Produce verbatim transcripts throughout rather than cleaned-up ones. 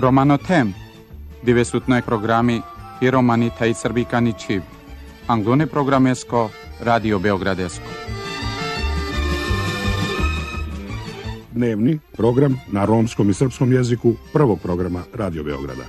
Romanotem, divesutnoj programi i romanita i srbikani čiv, anglone programesko, Radio Beogradesko. Dnevni program na romskom i srpskom jeziku prvog programa Radio Beograda.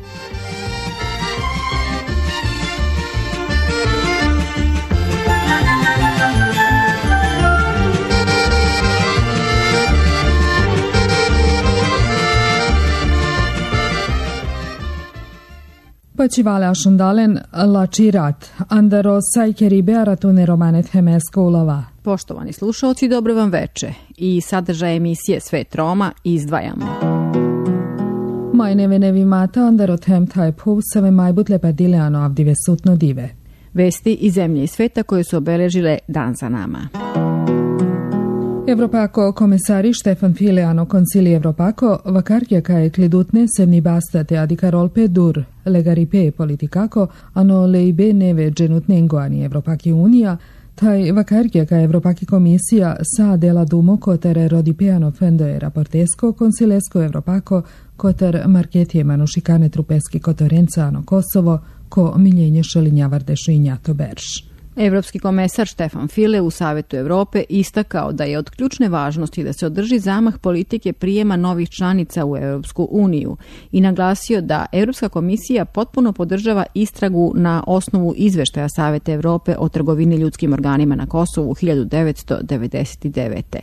Počivale ašundalen lačirat, andaro sajkeri bearatune romanet hemesko ulova. Poštovani slušalci, dobro vam veče. I sadržaj emisije Svet Roma izdvajamo. Majneve nevi mata andaro tem taj puvsave majbutle padileano avdive sutno dive. Vesti iz zemlje i sveta koje su obeležile dan za nama. Evropako komesari Štefan Fileano koncili Evropako vakarkja kaje klidutne semni bastate adikarolpe dur legaripe politikako ano leibe neve dženutnengoani Evropaki unija taj vakarkja kaje Evropaki komisija sa dela dumo kotere rodipeano fendoe raportesko konsilesko Evropako koter marketije manušikane trupeski kotorencano Kosovo ko miljenje šelinjavarde šinjato berš. Evropski komesar Štefan File u Savetu Evrope istakao da je od ključne važnosti da se održi zamah politike prijema novih članica u Evropsku uniju i naglasio da Evropska komisija potpuno podržava istragu na osnovu izveštaja Saveta Evrope o trgovini ljudskim organima na Kosovu hiljadu devetsto devedeset devete.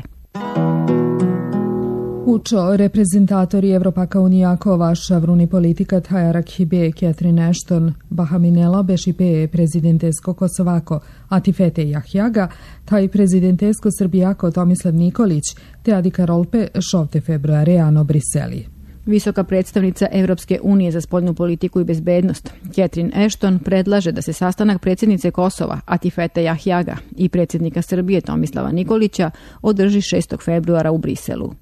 Učo reprezentatori Evropaka unijako vaša vruni politika Tajarak Hibe, Catherine Ashton, Bahaminela Bešipe, prezidentesko Kosovako, Atifete Jahjaga, taj prezidentesko Srbijako Tomislav Nikolić, te Adika Rolpe šovte februare ano Briseli. Visoka predstavnica Evropske unije za spoljnu politiku i bezbednost, Catherine Ashton, predlaže da se sastanak predsjednice Kosova, Atifete Jahjaga, i predsjednika Srbije Tomislava Nikolića održi šestog februara u Briselu.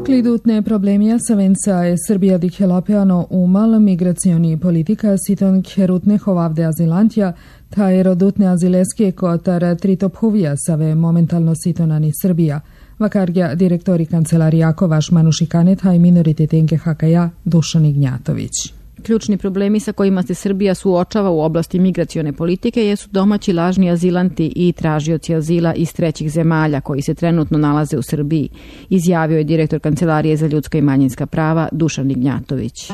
Klidutne problemija savenca je Srbija dihelapeano umal migracioni politika siton kherutne hovavde azilantja, ta je rodutne azileske kotar tritophovija save momentalno sitonani Srbija. Vakargja direktori kancelarijako vaš manušikane taj minoritetenke Hakaja Dušan Ignjatović. Ključni problemi sa kojima se Srbija suočava u oblasti migracione politike jesu domaći lažni azilanti i tražioci azila iz trećih zemalja koji se trenutno nalaze u Srbiji, izjavio je direktor Kancelarije za ljudska i manjinska prava Dušan Ignjatović.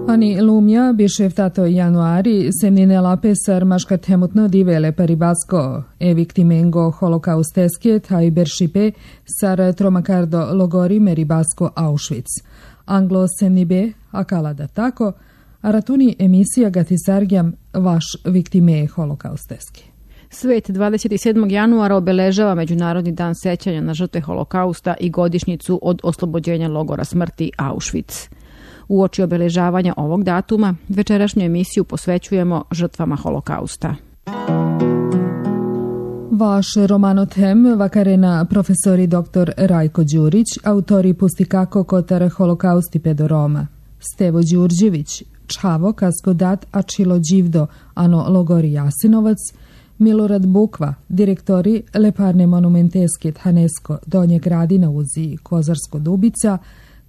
Ani lumja bišeftato januari semnine lapesar maška temutno divele paribasko e viktimengo holokausteske taj beršipe sar tromakardo logori meribasko Auschwitz. Anglo semnibe akala da tako, a ratuni emisija gatisargjam vaš viktime holokausteski. Svet dvadeset sedmog januara obeležava Međunarodni dan sećanja na žrtve holokausta i godišnjicu od oslobođenja logora smrti Auschwitz. Uoči obeležavanja ovog datuma, večerašnju emisiju posvećujemo žrtvama holokausta. Vaš romanotem vakarena profesori doktor Rajko Đurić, autori pustikako kotar holokausti pedoroma. Stevo Đurđević, Čhavo kaskodat Ačilo Đivdo, ano logori Jasinovac, Milorad Bukva, direktori Leparne monumenteske Thanesko Donje Gradina uzi Kozarsko Dubica,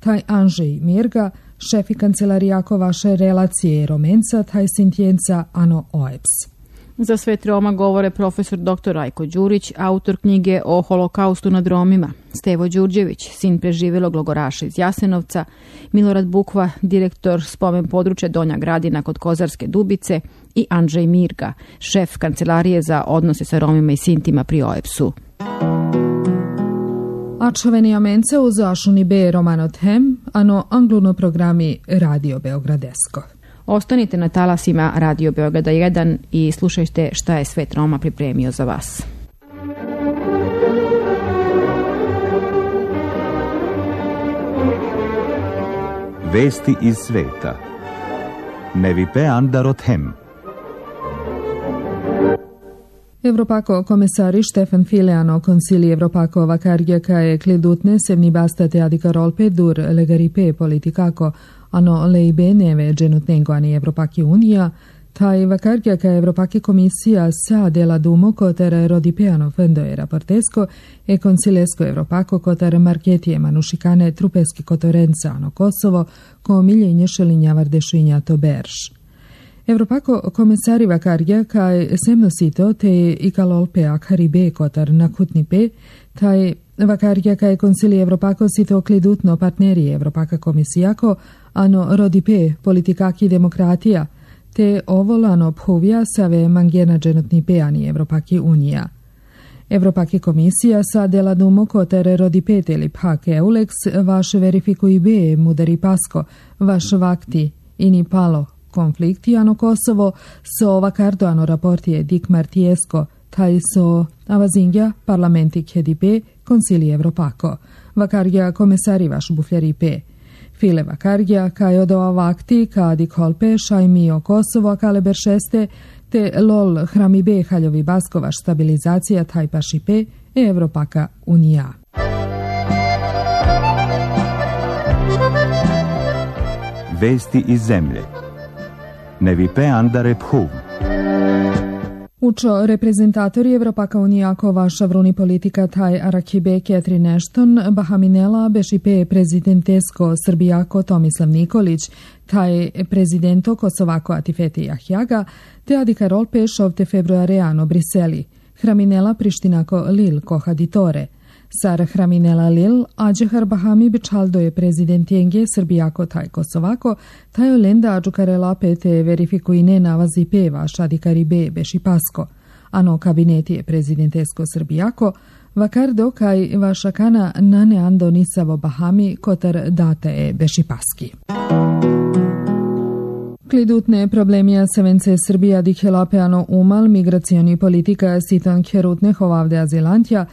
taj Anžej Mirga, šefi kancelarijako vaše relacije Romenca, taj Sintjenca, ano O E P S. Za Svet Roma govore profesor doktor Rajko Đurić, autor knjige o holokaustu nad Romima, Stevo Đurđević, sin preživelog logoraša iz Jasenovca, Milorad Bukva, direktor spomen područja Donja Gradina kod Kozarske Dubice i Andžej Mirga, šef Kancelarije za odnose sa Romima i Sintima pri O E P S-u. Ačoveni amenca u zašuni be romanotem, ano angluno programi Radio Beogradesko. Ostanite na talasima Radio Beograda jedan i slušajte šta je Svet Roma pripremio za vas. Vesti iz sveta. Nevipe Andarothem. Evropako komesari Štefan Fileano koncili Evropako vakargja kaje klidutne sevni bastate adikarolpe dur legaripe politikako ano leibe neve dženutnengoani Evropaki unija, taj vakargia ca Evropake Comisia sa della Dumo coter rodipeano fendo e raportesco e consilesco Evropako coter marcheti e manušikane trupeski kotorenzano Kosovo ko miljenje šelinja dešinja to berš. Evropako komesari vakargia kaj semno sito te ikalolpe akaribe koter nakutnipe, taj vakargia kaj konsili Evropako sito klidutno partneri Evropaka Komisijako, ano rodipe politikaki demokratija, te ovolano phovia save mangjena dženotni peani Evropaki Unija. Evropaki Komisija sa della Dumo coter rodipete ili pak Eulex vaš verifikui be mudari pasko, vaš vakti ini palo konflikti ano Kosovo so vakardo ano raporti dik martiesko, taj so avazingja parlamenti kjedipe konsili Evropako. Vakargia komesari vaš bufljaripe. File vakargia kaj odova vakti kadi kolpe šajmio Kosovo kale beršeste te lol hramibe haljovi baskovaš stabilizacija taj pašipe e Evropaka Unija. Vesti iz zemlje. Nevipe andare phuv. Učo reprezentatori Evropaka Unijako vaša vruni politika taj Arakibe Ketrin Ashton, Bahaminela Bešipe prezidentesko Srbijako Tomislav Nikolić, taj prezidento Kosovako Atifete Jahjaga, te Adika Rolpe šovte februareano Briseli, Hraminela Prištinako Lil Kohaditore. Sar Hraminela Lil, Ađehar Bahami Bičaldo je prezident Jenge Srbijako taj Kosovako, taj olenda Ađukarela pete verifikuine navazi peva Šadikaribe Bešipasko, ano kabineti je prezidentesko Srbijako, vakardo kaj vašakana nane ando nisavo Bahami kotar data je Bešipaski. Klidutne problemija sevence Srbija dihelapeano umal migracioni politika siton kjerutne hovavde azilantja,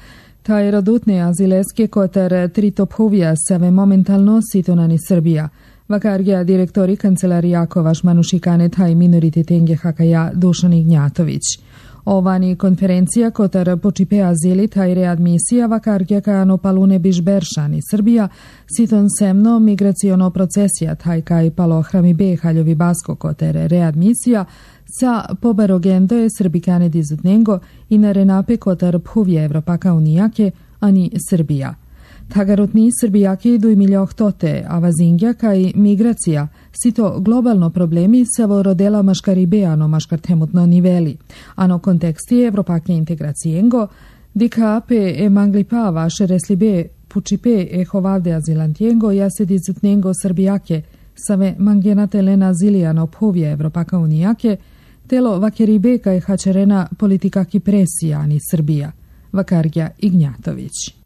taj rodutne azileske kotar tritophovija save momentalno sitonani Srbija. Vakargia direktori kancelarijako vaš manušikane taj minorititenge hakaja Dušan Ignjatović. Ovani konferencija kotar počipe azili taj readmisija vakargia kajano palune bižberšani Srbija siton semno migraciono procesija taj kaj palo hramibe haljovi basko kotar readmisija sa pobarogendo je Srbikane dizutnengo i na renape kotar phuvje Evropaka Unijake, ani Srbija. Tagarutni Srbijaki duj miljoh tote, a vazingja kaj migracija, sito globalno problemi savo rodela maškaribeano maškartemutno niveli, ano konteksti Evropake integracijengo, dika ape e manglipa vaše reslibe pučipe e hovavde azilantjengo jase dizutnengo Srbijake, save mangenate lena zilijano phuvje Evropaka Unijake, telo vakeribe kaj hačerena politika kipresija ani Srbija. Vakargia Ignjatović.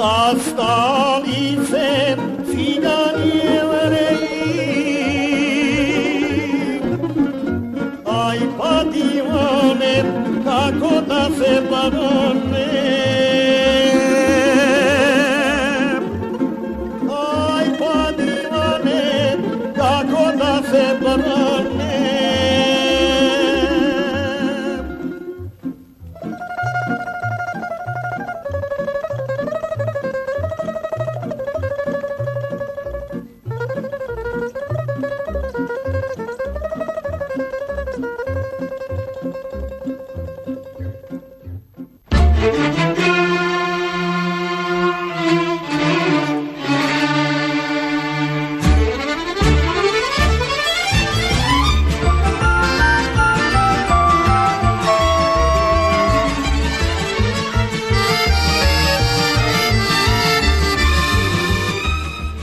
zastalice cigani Jevreji. Aj pa divane, kako da se badane. Aj pa divane, kako da se badane.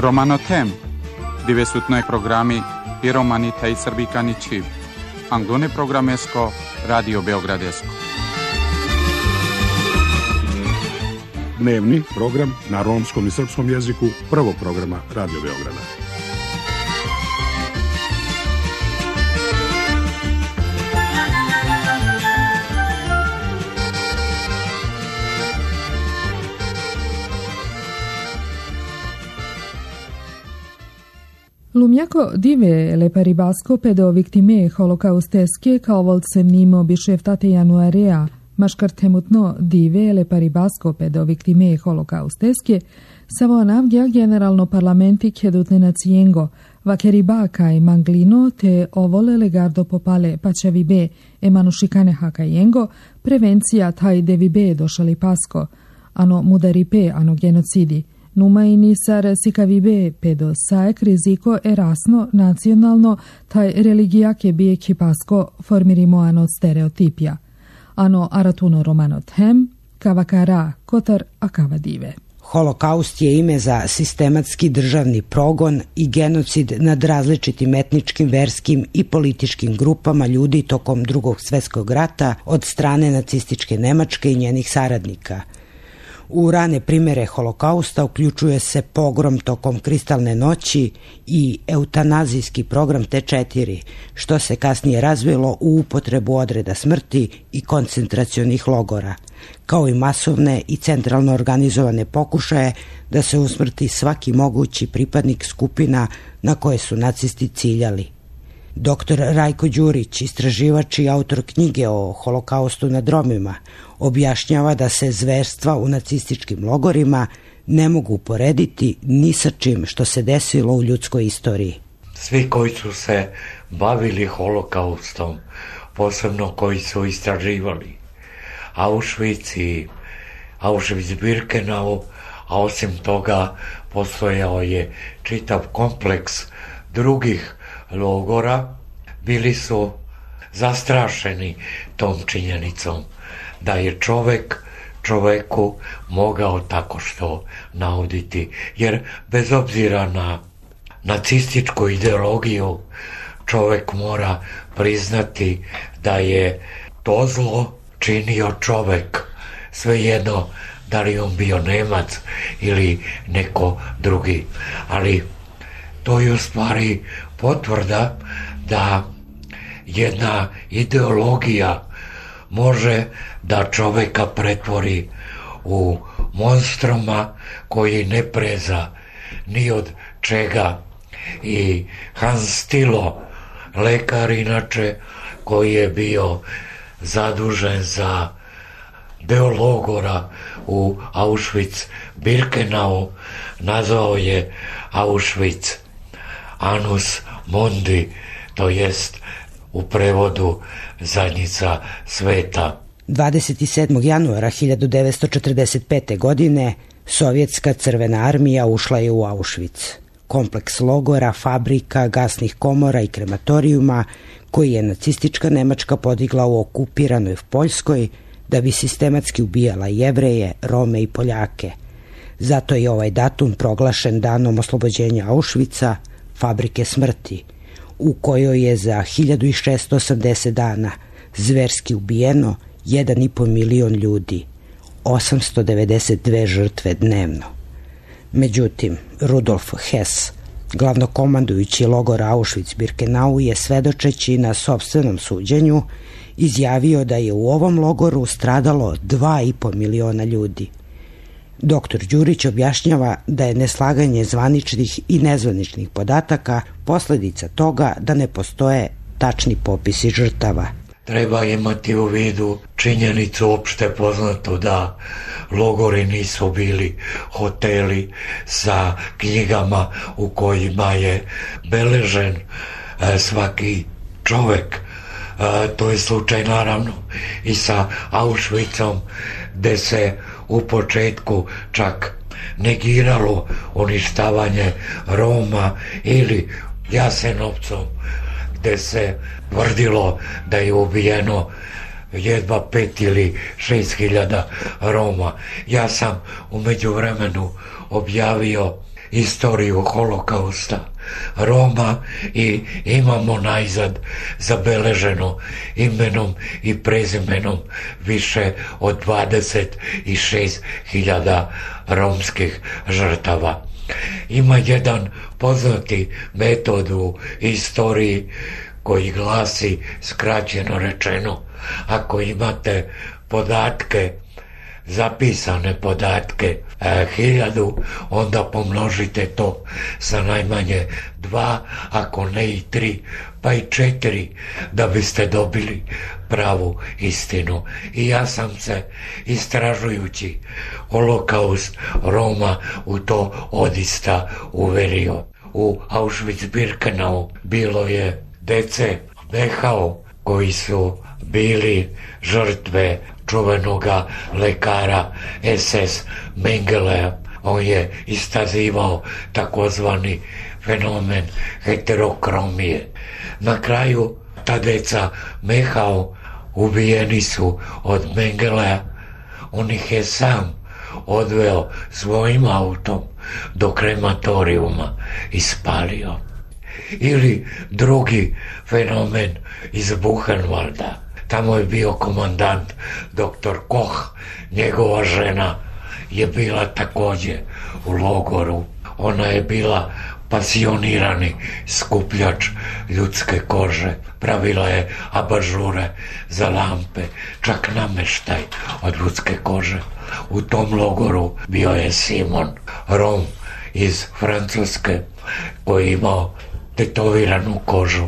Romanotem, divesutnoj programi i romani tej srbikani čiv. Anglone programesko, Radio Beogradesko. Dnevni program na romskom i srpskom jeziku prvog programa Radio Beograda. Lumjako dive le paribasco pedo victime holocaustesche kao volcem nimo bišeftate januarea, maškartemutno dive le paribasco pedo victime holocaustesche, savo anavgia generalno parlamenti chedutne naziengo, vakeriba kai manglino te ovole legardo popale pachavibe e manushikane hakayengo, prevencija taj devibe došali pasko, ano mudaripe ano genocidi, Numaini sar sikavibe pedo saek riziko erasno nacionalno taj religijake bije kipasko formirimo ano stereotipija. Ano aratuno romanot hem, kavakara, kotar akavadive. Holokaust je ime za sistematski državni progon i genocid nad različitim etničkim, verskim i političkim grupama ljudi tokom Drugog svjetskog rata od strane nacističke Nemačke i njenih saradnika. U rane primjere holokausta uključuje se pogrom tokom Kristalne noći i eutanazijski program T četiri, što se kasnije razvilo u upotrebu odreda smrti i koncentracionih logora, kao i masovne i centralno organizovane pokušaje da se usmrti svaki mogući pripadnik skupina na koje su nacisti ciljali. Doktor Rajko Đurić, istraživač i autor knjige o holokaustu nad Romima, objašnjava da se zverstva u nacističkim logorima ne mogu uporediti ni sa čim što se desilo u ljudskoj istoriji. Svi koji su se bavili holokaustom, posebno koji su istraživali Auschwitz i Auschwitz-Birkenau, a osim toga postojao je čitav kompleks drugih logora, bili su zastrašeni tom činjenicom da je čovek čoveku mogao tako što nauditi, jer bez obzira na nacističku ideologiju čovek mora priznati da je to zlo činio čovek, svejedno da li on bio Nemac ili neko drugi, ali to je u stvari potvrda da jedna ideologija može da čoveka pretvori u monstruma koji ne preza ni od čega. I Hans Tilo, lekar inače koji je bio zadužen za deo logora u Auschwitz-Birkenau, nazvao je Auschwitz Annus Mundi, to jest u prevodu zadnjica sveta. dvadeset sedmog januara hiljadu devetsto četrdeset pete. godine Sovjetska crvena armija ušla je u Auschwitz, kompleks logora, fabrika, gasnih komora i krematorijuma koji je nacistička Nemačka podigla u okupiranoj Poljskoj da bi sistematski ubijala Jevreje, Rome i Poljake. Zato je ovaj datum proglašen danom oslobođenja Auschwitza, fabrike smrti, u kojoj je za hiljadu šessto osamdeset dana zverski ubijeno jedan i po milion ljudi, osamsto devedeset dve žrtve dnevno. Međutim, Rudolf Hess, glavnokomandujući logora Auschwitz-Birkenau, je svedočeći na sopstvenom suđenju izjavio da je u ovom logoru stradalo dva i po miliona ljudi. Doktor Đurić objašnjava da je neslaganje zvaničnih i nezvaničnih podataka posledica toga da ne postoje tačni popisi žrtava. Treba imati u vidu činjenicu opšte poznato da logori nisu bili hoteli sa knjigama u kojima je beležen e, svaki čovek. E, to je slučaj naravno i sa Auschwitzom, gde se u početku čak negiralo uništavanje Roma, ili Jasenovcom, gde se tvrdilo da je ubijeno jedva pet ili šest hiljada Roma. Ja sam u međuvremenu objavio istoriju holokausta Roma i imamo najzad zabeleženo imenom i prezimenom više od dvadeset šest hiljada romskih žrtava. Ima jedan poznati metod u istoriji koji glasi, skraćeno rečeno, ako imate podatke, zapisane podatke e, hiljadu, onda pomnožite to sa najmanje dva, ako ne i tri, pa i četiri, da biste dobili pravu istinu. I ja sam se, istražujući holokaust Roma, u to odista uverio. U Auschwitz-Birkenau bilo je dece Dachau koji su bili žrtve čuvenoga lekara es es Mengelea. On je istazivao takozvani fenomen heterokromije. Na kraju ta deca Dachau ubijeni su od Mengelea. On ih je sam odveo svojim autom do krematorijuma i spalio. Ili drugi fenomen iz Buchenwalda. Tamo je bio komandant doktor Koch. Njegova žena je bila također u logoru. Ona je bila pasionirani skupljač ljudske kože. Pravila je abažure za lampe, čak nameštaj od ljudske kože. U tom logoru bio je Simon, Rom iz Francuske, koji je imao tetoviranu kožu.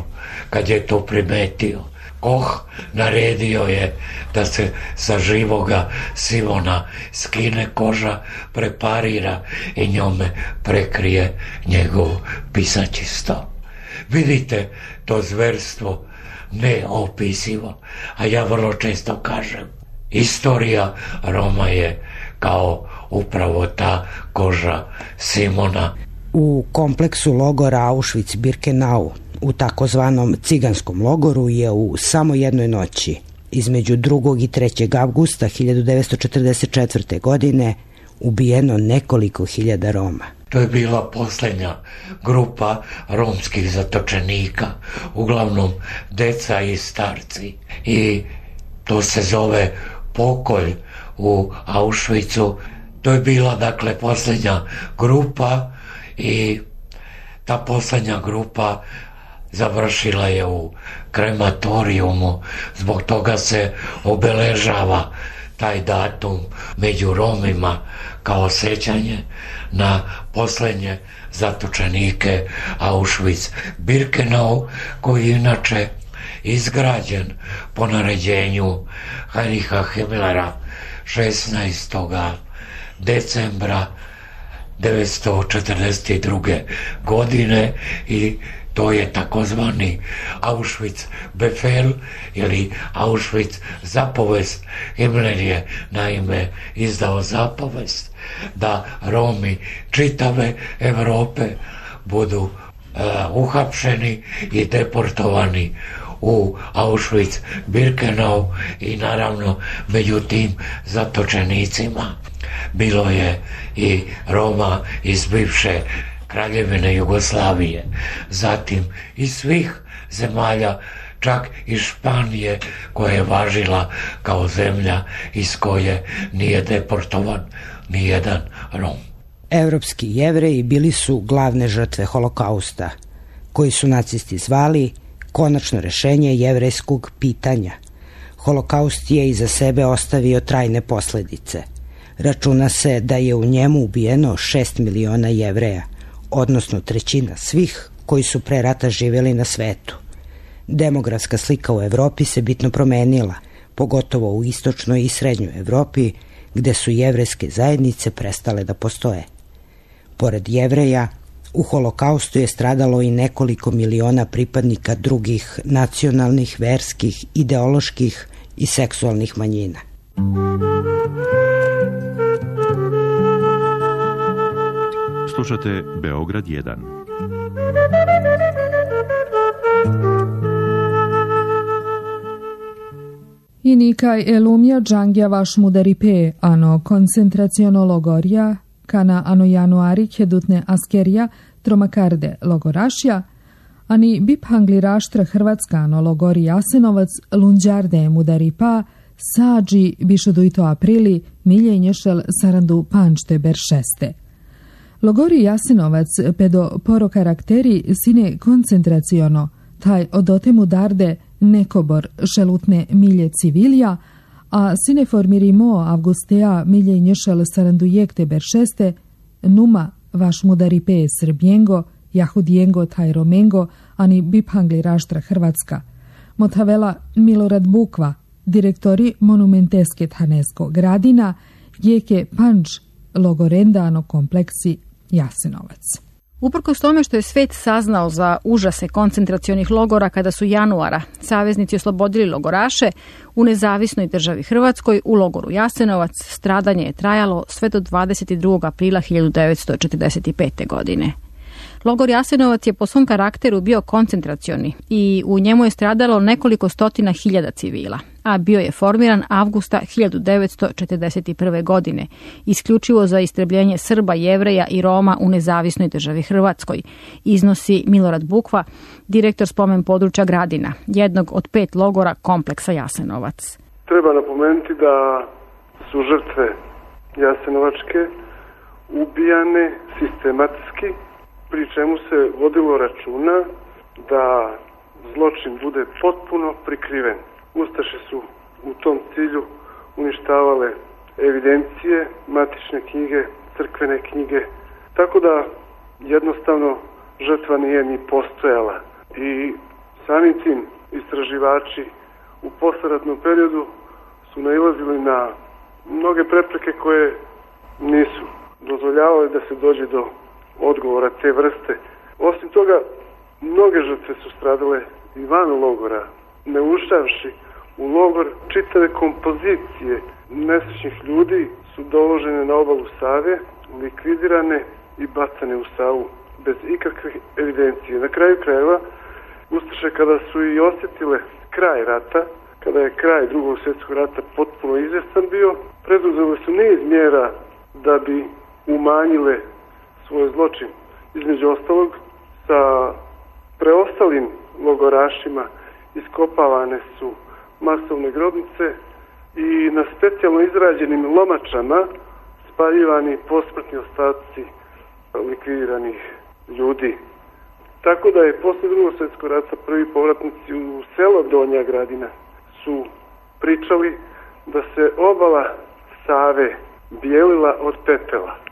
Kad je to primetio, Koch naredio je da se sa živoga Simona skine koža, preparira i njome prekrije njegov pisaći sto. Vidite, to zverstvo neopisivo, a ja vrlo često kažem, istorija Roma je kao upravo ta koža Simona. U kompleksu logora Auschwitz-Birkenau, u takozvanom ciganskom logoru, je u samo jednoj noći, između drugog i trećeg avgusta hiljadu devetsto četrdeset četvrte. godine, ubijeno nekoliko hiljada Roma. To je bila posljednja grupa romskih zatočenika, uglavnom deca i starci. I to se zove pokolj u Auschwitzu. To je bila, dakle, posljednja grupa i ta posljednja grupa završila je u krematorijumu. Zbog toga se obeležava taj datum među Romima kao sećanje na posljednje zatočenike Auschwitz-Birkenau, koji je inače izgrađen po naređenju Heinricha Himmlera šesnaestog decembra devetsto četrdeset druge. godine i to je takozvani Auschwitz-Befehl ili Auschwitz zapovest. Himmler je naime izdao zapovest da Romi čitave Evrope budu uh, uhapšeni i deportovani u Auschwitz-Birkenau i naravno među tim zatočenicima bilo je i Roma iz bivše Kraljevine Jugoslavije, zatim iz svih zemalja, čak i Španije, koja je važila kao zemlja iz koje nije deportovan ni jedan Rom. Evropski Jevreji bili su glavne žrtve holokausta, koji su nacisti zvali konačno rešenje jevrejskog pitanja. Holokaust je iza sebe ostavio trajne posledice. Računa se da je u njemu ubijeno šest miliona Jevreja, odnosno trećina svih koji su pre rata živjeli na svetu. Demografska slika u Evropi se bitno promenila, pogotovo u istočnoj i srednjoj Evropi, gde su jevrejske zajednice prestale da postoje. Pored Jevreja, u holokaustu je stradalo i nekoliko miliona pripadnika drugih nacionalnih, verskih, ideoloških i seksualnih manjina. Slušate Beograd jedan. Inikaj elumja džangja vaš mudaripe, ano koncentraciono logorja, kana ano januari hedutne askerija, tromakarde logorašja, ani biphangli raštra Hrvatska ano logori Jasenovac, lunđarde mudaripa, sađi bišoduito aprili, miljenješel sarandu pančte beršeste. Logori Jasenovac pedo poro karakteri sine koncentraciono, taj odotemu darde nekobor šelutne milje civilija, a sine formirimo avgustea milje nješel sarandujekte beršeste, numa vaš mudaripe srbjengo, jahudijengo taj romengo, ani biphangli raštra Hrvatska. Motavela Milorad Bukva, direktori monumenteske Thanesko gradina, jeke panč logorendano kompleksi Jasenovac. Uprkos tome što je svet saznao za užase koncentracionih logora kada su januara saveznici oslobodili logoraše, u nezavisnoj državi Hrvatskoj u logoru Jasenovac stradanje je trajalo sve do dvadeset drugog aprila hiljadu devetsto četrdeset pete. godine. Logor Jasenovac je po svom karakteru bio koncentracioni i u njemu je stradalo nekoliko stotina hiljada civila, a bio je formiran avgusta hiljadu devetsto četrdeset prve. godine, isključivo za istrebljenje Srba, Jevreja i Roma u nezavisnoj državi Hrvatskoj, iznosi Milorad Bukva, direktor spomen područja Gradina, jednog od pet logora kompleksa Jasenovac. Treba napomenuti da su žrtve Jasenovačke ubijane sistematski, pri čemu se vodilo računa da zločin bude potpuno prikriven. Ustaše su u tom cilju uništavale evidencije, matične knjige, crkvene knjige, tako da jednostavno žrtva nije ni postojala. I samim tim istraživači u posleratnom periodu su nailazili na mnoge prepreke koje nisu dozvoljavale da se dođe do odgovora te vrste. Osim toga, mnoge žrtve su stradale i van logora, ne ušavši u logor. Čitave kompozicije nesrećnih ljudi su doložene na obalu Save, likvidirane i bacane u Savu bez ikakve evidencije. Na kraju krajeva, ustaše kada su i osjetile kraj rata, kada je kraj drugog svjetskog rata potpuno izvestan bio, preduzele su niz mjera da bi umanjile svoj zločin. Između ostalog, sa preostalim logorašima iskopavane su masovne grobnice i na specijalno izrađenim lomačama spaljivani posmrtni ostaci likvidiranih ljudi. Tako da je posle drugog svjetskog rata prvi povratnici u selo Donja Gradina su pričali da se obala Save bijelila od pepela.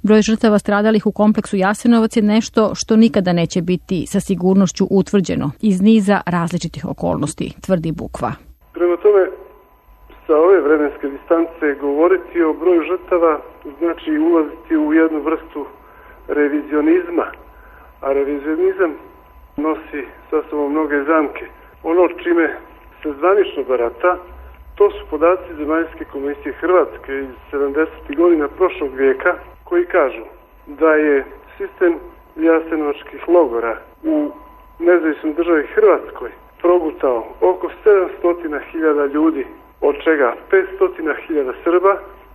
Broj žrtava stradalih u kompleksu Jasenovac je nešto što nikada neće biti sa sigurnošću utvrđeno iz niza različitih okolnosti, tvrdi Bukva. Prema tome, sa ove vremenske distance govoriti o broju žrtava znači ulaziti u jednu vrstu revizionizma, a revizionizam nosi sa sobom mnoge zamke. Ono čime se zvanično barata, to su podaci Zemaljske komisije Hrvatske iz sedamdesetih godina prošlog vijeka, koji kažu da je sistem jasenovačkih logora u nezavisnoj državi Hrvatskoj progutao oko sedamsto hiljada ljudi, od čega petsto hiljada Srba,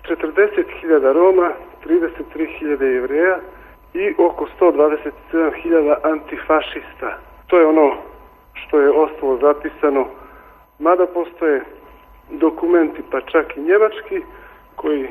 četrdeset hiljada Roma, trideset tri hiljade Jevreja i oko sto dvadeset sedam hiljada antifašista. To je ono što je ostalo zapisano, mada postoje dokumenti, pa čak i njemački, koji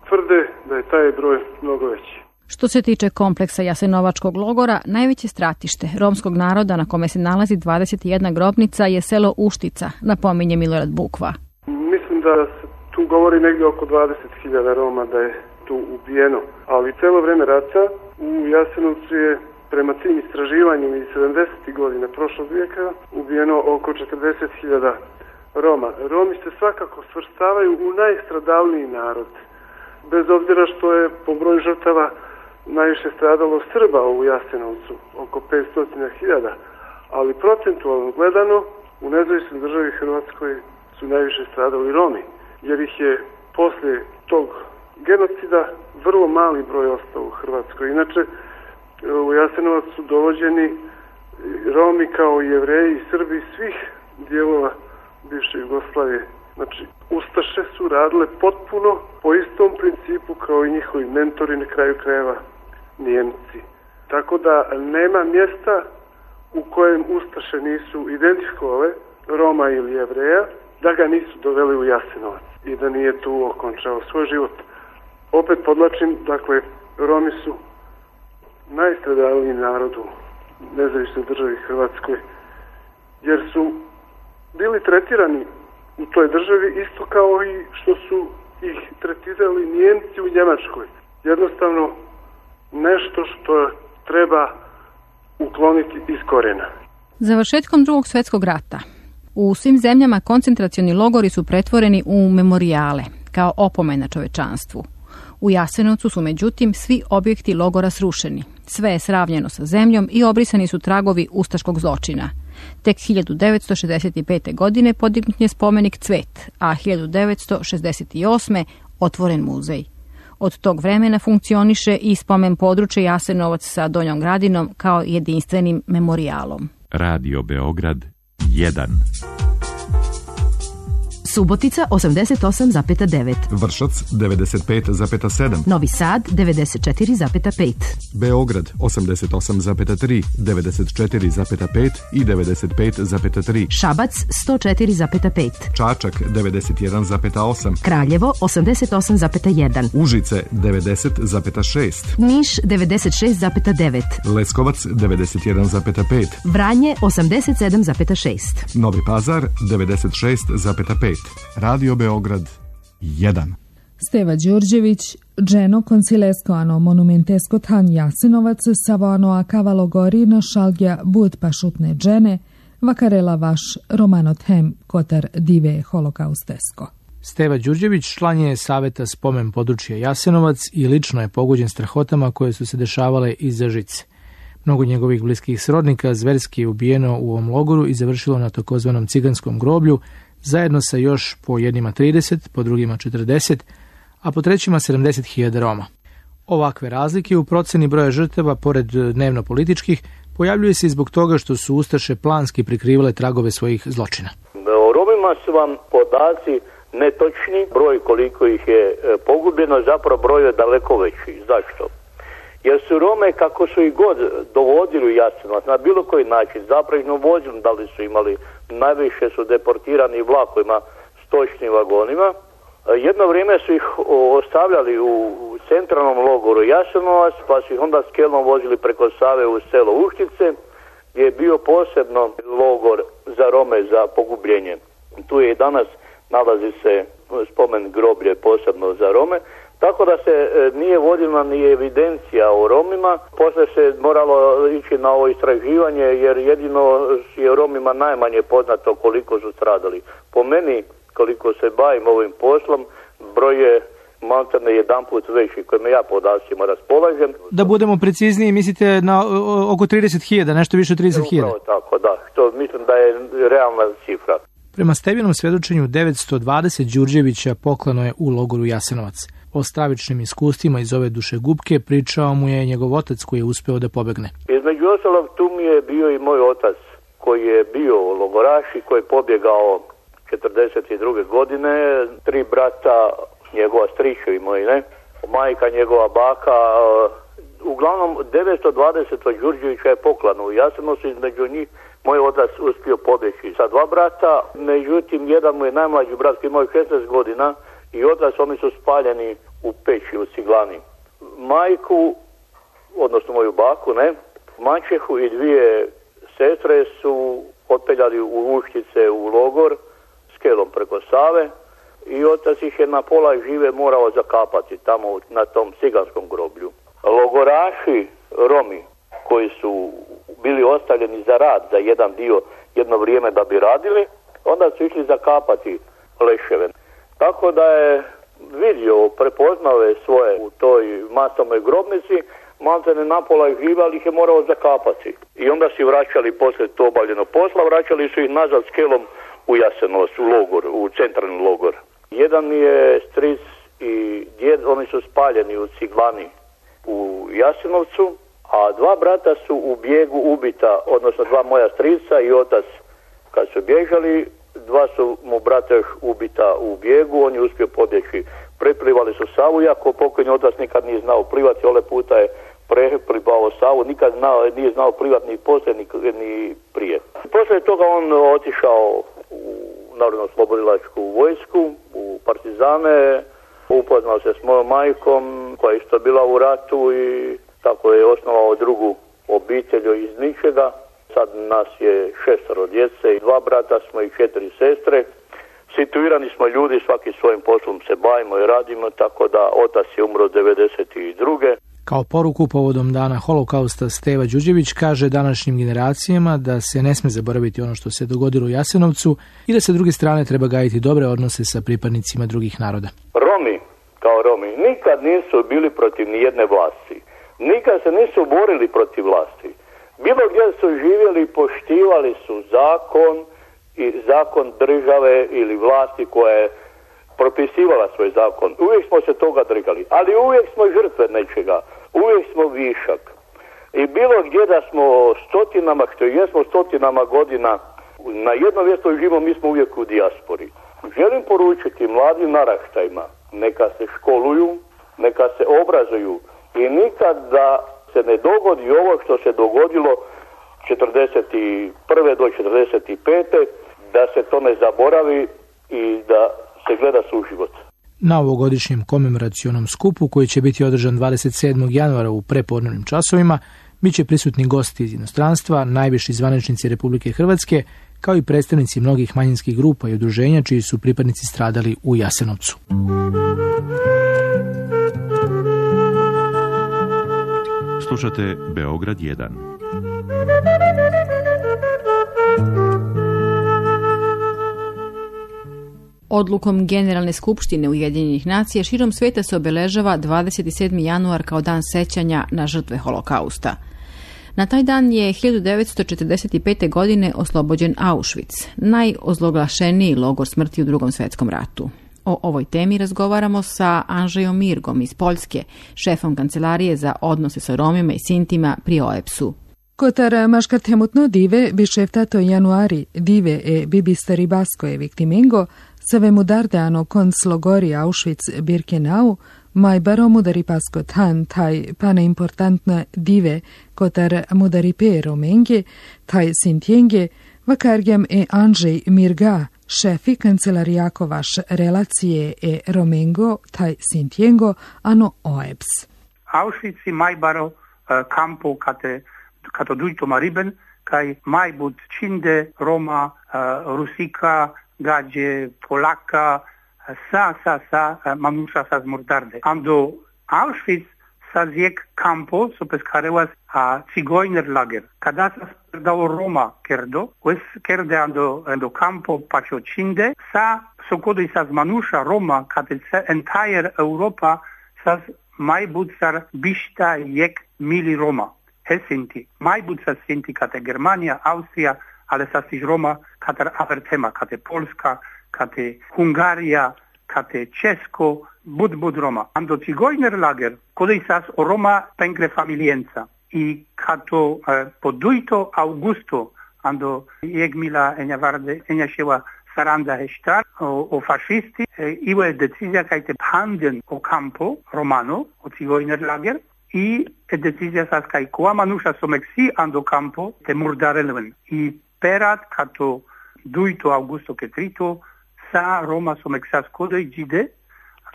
tvrde da je taj broj mnogo veći. Što se tiče kompleksa Jasenovačkog logora, najveće stratište romskog naroda na kome se nalazi dvadeset jedna grobnica je selo Uštica, napominje Milorad Bukva. Mislim da se tu govori negdje oko dvadeset hiljada Roma da je tu ubijeno, ali celo vreme rata u Jasenovcu je prema tim istraživanjima iz sedamdesetih godina prošlog vijeka ubijeno oko četrdeset hiljada Roma. Romi se svakako svrstavaju u najstradalniji narod, bez obzira što je po broju žrtava najviše stradalo Srba u Jasenovcu, oko petsto hiljada, ali procentualno gledano u nezavisnoj državi Hrvatskoj su najviše stradali Romi, jer ih je poslije tog genocida vrlo mali broj ostao u Hrvatskoj. Inače, u Jasenovac su dovođeni Romi kao i Jevreji i Srbi svih dijelova bivše Jugoslavije. Znači, ustaše su radile potpuno po istom principu kao i njihovi mentori, na kraju krajeva Nijemci. Tako da nema mjesta u kojem ustaše nisu identifikovale Roma ili Jevreja, da ga nisu doveli u Jasenovac i da nije tu okončao svoj život. Opet podlačim, dakle, Romi su najstradalniji narod u nezavisnoj državi Hrvatskoj, jer su bili tretirani u toj državi isto kao i što su ih tretirali Nijemci u Njemačkoj. Jednostavno nešto što treba ukloniti iz korijena. Završetkom Drugog svjetskog rata u svim zemljama koncentracioni logori su pretvoreni u memorijale, kao opomena čovečanstvu. U Jasenovcu su međutim svi objekti logora srušeni. Sve je sravnjeno sa zemljom i obrisani su tragovi ustaškog zločina. Tek hiljadu devetsto šezdeset pete. godine podignut je spomenik Cvet, a hiljadu devetsto šezdeset osme. otvoren muzej. Od tog vremena funkcioniše i spomen područje Jasenovac sa Donjom Gradinom kao jedinstvenim memorijalom. Radio Beograd jedan. Subotica osamdeset osam zarez devet. Vršac devedeset pet zarez sedam. Novi Sad devedeset četiri zarez pet. Beograd osamdeset osam zarez tri, devedeset četiri zarez pet i devedeset pet zarez tri. Šabac sto četiri zarez pet. Čačak devedeset jedan zarez osam. Kraljevo osamdeset osam zarez jedan. Užice devedeset zarez šest. Niš devedeset šest zarez devet. Leskovac devedeset jedan zarez pet. Vranje osamdeset sedam zarez šest. Novi Pazar devedeset šest zarez pet. Radio Beograd jedan. Steva Đurđević, Dženo koncileskoano monumentesko tan Jasenovac savoano a cavalo gorino šalgja bud pašutne džene, vakarela vaš romano tem kotar dive holokaustesko. Steva Đurđević član je saveta spomen područja Jasenovac i lično je pogođen strahotama koje su se dešavale iza žice. Mnogo njegovih bliskih srodnika zverski je ubijeno u ovom logoru i završilo na takozvanom ciganskom groblju, zajedno sa još po jednima trideset, po drugima četrdeset, a po trećima sedamdeset hiljada Roma. Ovakve razlike u proceni broja žrtava, pored dnevno političkih, pojavljuje se i zbog toga što su ustaše planski prikrivale tragove svojih zločina. O Romima su vam podaci netočni, broj koliko ih je pogubljeno, zapravo broj je daleko veći. Zašto? Jer su Rome, kako su ih god dovodili u Jasenovac, na bilo koji način, zapravo vozili, da li su imali, najviše su deportirani vlakovima, stočnim vagonima. Jedno vrijeme su ih ostavljali u centralnom logoru Jasenovac, pa su ih onda s kelom vozili preko Save u selo Uštice, gdje je bio posebno logor za Rome za pogubljenje. Tu je i danas nalazi se spomen groblje posebno za Rome. Tako da se nije vodila ni evidencija o Romima, poslije se moralo ići na ovo istraživanje jer jedino je Romima najmanje poznato koliko su stradali. Po meni, koliko se bavim ovim poslom, broj je maltene jedan put veći kojim ja podacima raspolažem. Da budemo precizniji, mislite na oko trideset hiljada, nešto više od trideset hiljada? Upravo tako, da. To mislim da je realna cifra. Prema Stevinom svjedočenju devetsto dvadeset Đurđevića poklano je u logoru Jasenovac. O stravičnim iskustvima iz ove dušegupke pričao mu je njegov otac koji je uspeo da pobegne. Između ostalog tu mi je bio i moj otac koji je bio logoraš i koji je pobjegao četrdeset druge godine. Tri brata, njegova stričevi moji, ne? Majka, njegova baka. Uglavnom devetsto dvadeset Đurđevića je poklano u Jasenovcu, između njih moj otac uspio pobjeći sa dva brata. Međutim, jedan mu je najmlađi brat koji imao šesnaest godina i otac, oni su spaljeni u peći u ciglani. Majku, odnosno moju baku, ne, maćehu i dvije sestre su otpeljali u Uščice u logor skelom preko Save i otac ih je na pola žive morao zakapati tamo na tom ciganskom groblju. Logoraši Romi koji su bili ostavljeni za rad, za jedan dio, jedno vrijeme da bi radili, onda su išli zakapati leševe. Tako da je vidio, prepoznao je svoje u toj masovnoj grobnici, maltene napola ih žive, ali ih je morao zakapati. I onda si vraćali poslije to obavljeno posla, vraćali su ih nazad skelom u Jasenovac, u logor, u centralni logor. Jedan je stric i djed, oni su spaljeni u ciglani u Jasenovcu, a dva brata su u bijegu ubita, odnosno dva moja strica i otac kad su bježali, dva su mu brata još ubita u bijegu, on je uspio pobjeći. Preplivali su Savu, iako pokojni otac nikad nije znao plivati, ole puta je preplivao Savu, nikad znao, nije znao plivati ni poslije ni, ni prije. Poslije toga on otišao u Narodno-oslobodilačku vojsku, u partizane, upoznao se s mojom majkom koja je isto bila u ratu i tako je osnovao drugu obitelj iz ničega. Sad nas je šestero djece i dva brata smo i četiri sestre. Situirani smo ljudi, svaki svojim poslom se bavimo i radimo, tako da otac je umro devedeset druge. Kao poruku povodom dana holokausta Steva Đurđević kaže današnjim generacijama da se ne sme zaboraviti ono što se dogodilo u Jasenovcu i da sa druge strane treba gajiti dobre odnose sa pripadnicima drugih naroda. Romi, kao Romi, nikad nisu bili protiv nijedne vlasti. Nikad se nisu borili protiv vlasti. Bilo gdje su živjeli, poštivali su zakon i zakon države ili vlasti koja je propisivala svoj zakon. Uvijek smo se toga držali, ali uvijek smo žrtve nečega, uvijek smo višak. I bilo gdje da smo stotinama, što jesmo stotinama godina na jednom mjestu živimo, mi smo uvijek u dijaspori. Želim poručiti mladim naraštajima, neka se školuju, neka se obrazuju i nikad da se ne dogodi ovo što se dogodilo četrdeset prve do četrdeset pete da se to ne zaboravi i da se gleda suživot. Na ovogodišnjem komemoracionom skupu koji će biti održan dvadeset sedmog januara u prepodnevnim časovima bit će prisutni gosti iz inostranstva, najviši zvaničnici Republike Hrvatske, kao i predstavnici mnogih manjinskih grupa i udruženja čiji su pripadnici stradali u Jasenovcu. Slušate Beograd jedan. Odlukom Generalne skupštine Ujedinjenih nacija širom svijeta se obeležava dvadeset sedmi januar kao dan sećanja na žrtve holokausta. Na taj dan je hiljadu devetsto četrdeset pete. godine oslobođen Auschwitz, najozloglašeniji logor smrti u Drugom svjetskom ratu. O ovoj temi razgovaramo sa Andrzejom Mirgom iz Poljske, šefom kancelarije za odnose sa Romima i Sintima pri O E P S-u. Kotar maškartemutno dive bisheftato januari dive e bibisteri baskoje viktimengo save mudardeano konslogori Auschwitz Birkenau mai baro mudari pasko tan taj pane importantna dive kotar mudari pe romenge taj sintienge vakargem e Andrzej Mirga šefi kancelarijako vaš relacije e romengo taj sintiengo ano O E P S. Auschwitz i mai baro uh, campo kate kato dujto mariben kaj mai bud činde Roma, uh, Rusika, gađe, Polaka, sa, sa, sa, mamuša sa zmordarde. Ando Auschwitz sa zjek campo, so pescarewas a cigojner lager. Kada sa sperdao Roma kerdo, wes kerde ando, ando campo pacio cinde, sa sokodo i sa zmanuša Roma, kate entire Europa, sa mai bud sar bishta jek mili Roma. Helsinki. Mai bud sa sinti kate Germania, Austrija, ale sa stiž Roma katar avertema, kate Polska, kate Hungarija, kate Česko, bud bud Roma. Ando cigojner lager, kodej sas o Roma pengre familienca. I kato eh, podujto Augusto, ando jeg mila enja varde, enja ševa saranda heštar o, o fascisti, eh, ivo je decizija kajte panden o campo romano, o cigojner lager, i e decizija sas kaj koa manuša someksi ando campo te murdarelven. I perat kato duito Augusto ke trito sa Roma someksas kodoj džide,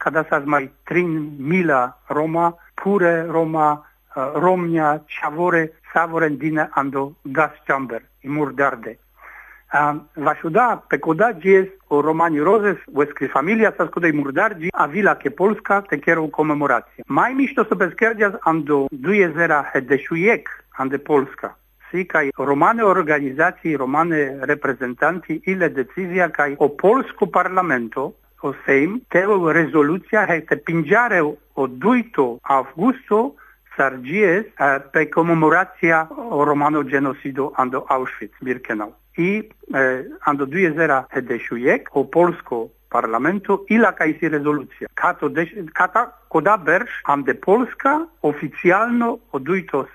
kada sa mai trin mila Roma, pure Roma, Romnia, Ciavore, Savoren dine ando gas chamber, i murdarde. Vasciuda, pe coda gies o romani roses, uescri familia sa scudei murdargi, a vila che Polska te chiero comemorație. Mai mișto să peschergias ando duizera hedešujek ande Polska. Si kai romane organizații, romane reprezentanti, ile decizia kai o polsko parlamento, o Sejm, teo rezoluția he te pingiare o duito avgusto sargies pe comemorația o romano genocido ando Auschwitz-Birkenau. I eh, ando duizera hedešujek o polsko parlamentu ila kaj si rezolucija. Kato deš, kata koda berš ande Polska oficijalno o duito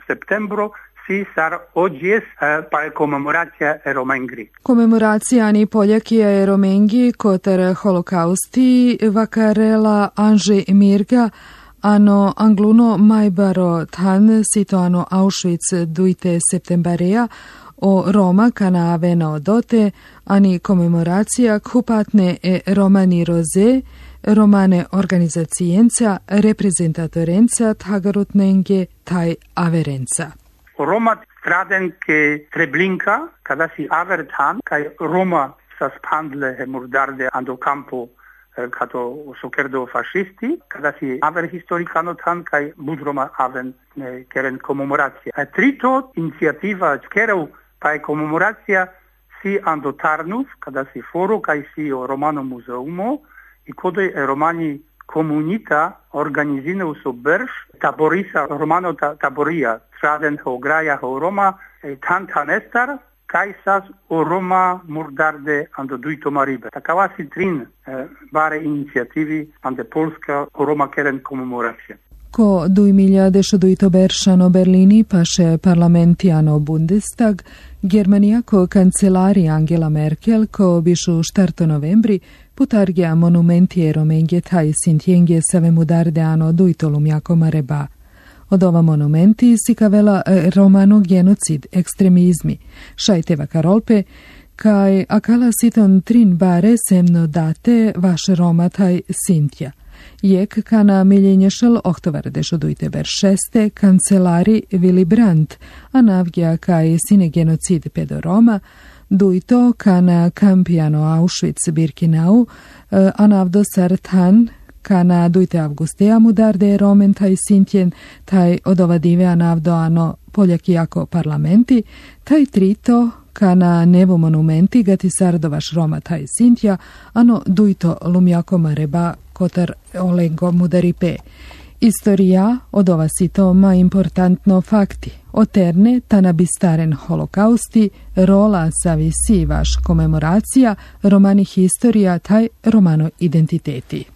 septembro si sar odjes eh, pa komemoracija Romengri. Komemoracija ani Poljakija Romengi kotar holokausti vakarela Anže Mirga ano angluno majbaro tan situano Auschwitz duite septembarea o Roma kana aveno dote ani komemoracija kupatne e romani roze romane organizacijenca reprezentatorenca tagarutnenge taj averenca. Roma stradenke Treblinka kada si avertan kaj Roma sa spandle he murdarde ando campo kato sokerdo fascisti, kada si aver historikano tan kaj bud Roma aven keren komemoracija. A trito iniciativa skereu pa komemoracija si ando Tarnów, kada si foro kaj si o Romano muzeumo i kodoj romani komunita organizine so berš taborisa Romano ta, taboria traden ho graja ho Roma tan tanestar kaj sas o Roma murdarde ando duito maribe. Takava si trin eh, bare inicijativi ande Polska o Roma keren komemoracija. Ko duimiljadešuduito beršano Berlini paše parlamentiano Bundestag, Germanija ko kancelari Angela Merkel ko bišu štarto novembri putargia monumenti Romengje taj sintjengje save mudarde ano duitolum jako mareba. Od ova monumenti si kavela romano genocid ekstremizmi, šajteva karolpe, kaj akala siton trin bare semno date vaše Roma taj sintja. Jek kana miljenješel oktovar dešodujte ber šeste kancelari Willy Brandt, a navgja kaj sine genocid pedo Roma, duito kana kampiano Auschwitz-Birkenau, a navdo sartan kana duite avgustea mudarde Romen taj sintjen, taj odovadive a navdo ano Poljaki jako parlamenti, taj trito kana nevo monumenti gati sardovaš Roma taj sintja, ano duito lumjako mareba kotar olengo mudaripe. Istorija od ova sitoma importantno fakti. Oterne tanabistaren holokausti, rola savisi vaš komemoracija, romani historija taj romano identiteti.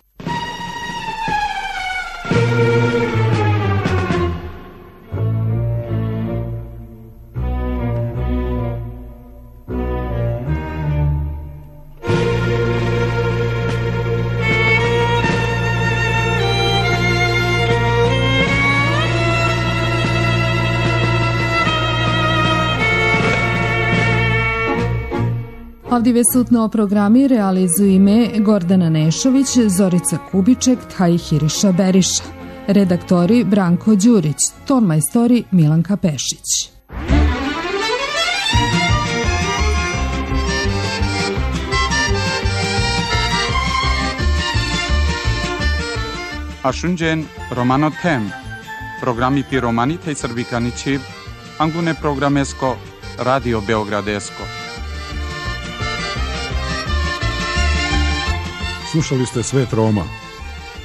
Avdive sutno programi realizuju me Gordana Nešović, Zorica Kubiček, taj Hiriša Beriša. Redaktori Branko Đurić, ton majstori Milanka Pešić. Ashunjen Romano Tem, programi pi romani tej srbikani čiv, angune programesko, Radio Beogradesko. Slušali ste Svet Roma,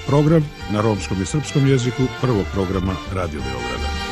program na romskom i srpskom jeziku prvog programa Radio Beograda.